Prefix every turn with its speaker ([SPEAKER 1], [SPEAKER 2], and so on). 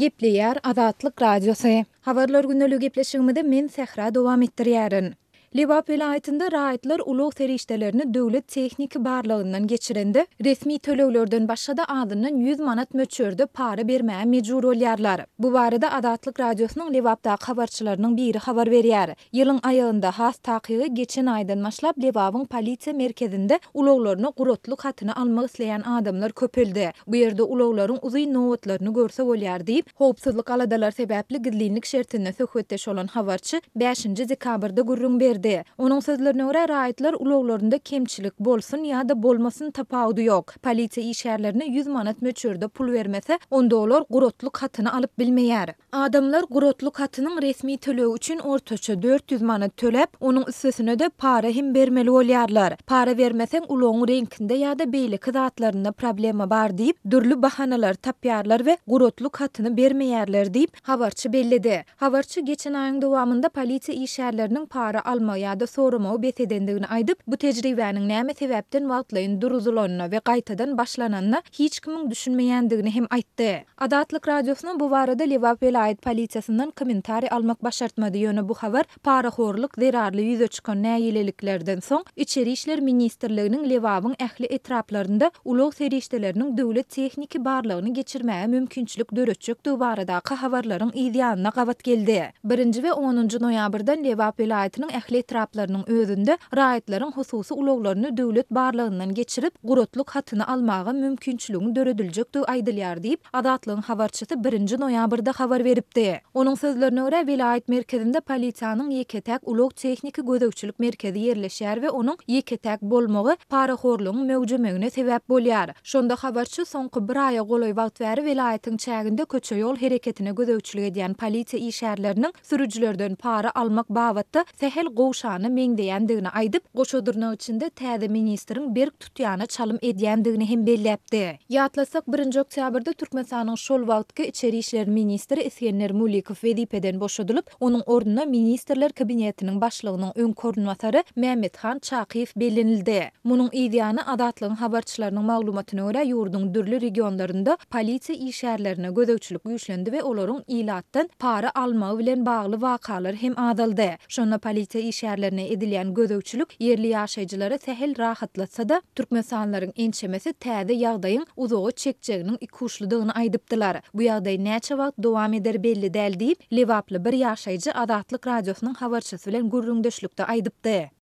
[SPEAKER 1] Gepleýär Azatlyk Radiosy. Habarlar gündeligi gepleşigimizi men Sähra dowam etdirýärin. Lebap welaýatynda raýatlar ulag serişdelerini döwlet tehniki barlagyndan geçirende, resmi töleglerden başga-da azyndan 100 manat möçberde para bermäge mejbur bolýarlar. Bu barada Azatlyk Radiosynyň Lebapdaky habarçylarynyň biri habar berýär. Ýylyň aýagynda, has takygy geçen aýdan başlap Lebabyň polisiýa merkezinde ulaglaryna guratlyk hatyny almak isleýän adamlar köpeldi. Bu ýerde ulaglaryň uzyn nobatlaryny görse bolýar diýip, howpsuzlyk aladalary sebäpli gizlinlik şertinde söhbetdeş bolan habarçy bäşinji dekabrda gürrüň berdi. Onuň sözlerine görä, raýatlar ulaglarynda kemçilik bolsun ýa-da bolmasyn tapawudy ýok. Polisiýa işgärlerine 100 manat möçberde pul bermese, onda olar guratlyk hatyny alyp bilmeýär. Adamlar guratlyk hatynyň resmi tölegi üçin ortaça 400 manat töläp, onuň üstesine-de para hem bermeli bolýarlar. Para bermeseň, ulagyň reňkinde ýa-da beýleki zatlarynda problema bar diýip, dürli bahanalary tapýarlar we guratlyk hatyny bermeýärler diýip, habarçy belledi. Habarçy geçen aýyň dowamynda polisiýa işgärleriniň para almagy ýa-da soramagy bes edendigini aýdyp, bu tejribäniň näme sebäpden wagtlaýyn duruzylanyna we gaýtadan başlananyna hiç kimiň düşünmeýändigini hem aýtdy. Azatlyk Radiosyna bu barada Lebap welaýat polisiýasyndan kommentariý almak başartmady, ýöne bu habar parahorluk zerarly ýüze çykan nägileliklerden soň, Içeri işler ministrliginiň Lebabyň ähli etraplarynda ulag serişdeleriniň döwlet tehniki barlagyny geçirmäge mümkinçilik döretjekdigi baradaky habarlaryň yz ýanyna gabat geldi. Birinji we onunjy noýabrdan Lebap welaýatynyň ähli etraplarynyň özünde raýatlaryň hususy ulaglaryny döwlet barlagyndan geçirip, guratlyk hatyny almaga mümkinçiligiň dörediljekdigi aýdylýar diýip, Azatlygyň habarçysy birinji noýabrda habar beripdi. Onuň sözlerine görä, welaýat merkezinde polisiýanyň ýeke-täk ulag-tehniki gözegçilik merkezi ýerleşýär we onuň ýeke-täk bolmagy parahorlugyň möwjemegine sebäp bolýar. Şonda habarçy soňky bir aýa golaý wagt bäri welaýatyň çäginde köçe-ýol hereketine gözegçilik edýän polisiýa işgärleriniň sürüjilerden para almak babatda sähel gowşana meňzeýändigini aýdyp, goşa dyrnak içinde täze ministriň berk tutýana çalym edýändigini hem belläpdi. Ýatlatsak, birinji oktýabrda Türkmenistanyň şol wagtky içeri işler ministri Isgender Mulikow wezipeden boşadylyp, Onuň ornuna Ministrler Kabinetiniň Başlygynyň öňki orunbasary Mämmethan Çakyýew bellenildi. Munuň yz ýany, Azatlygyň habarçylarynyň maglumatyna görä, ýurduň dürli regionlarynda polisiýa işgärlerine gözegçilik güýçlendi we olaryň ilatdan para almagy bilen bagly wakalar hem azaldy. Şonda polisiýa işgärlerine edilýän gözegçilik ýerli ýaşaýjylary sähel rahatlatsa-da, türkmenistanlylaryň ençemesi täze ýagdaýyň uzaga çekjeginiň ikuçludygyny aýdypdylar. Bu ýagdaý näçe wagt dowam eder belli däl diýip, lebaply bir ýaşaýjy Azatlyk Radiosynyň habarçysy bilen gürrüňdeşlikde aýdypdy.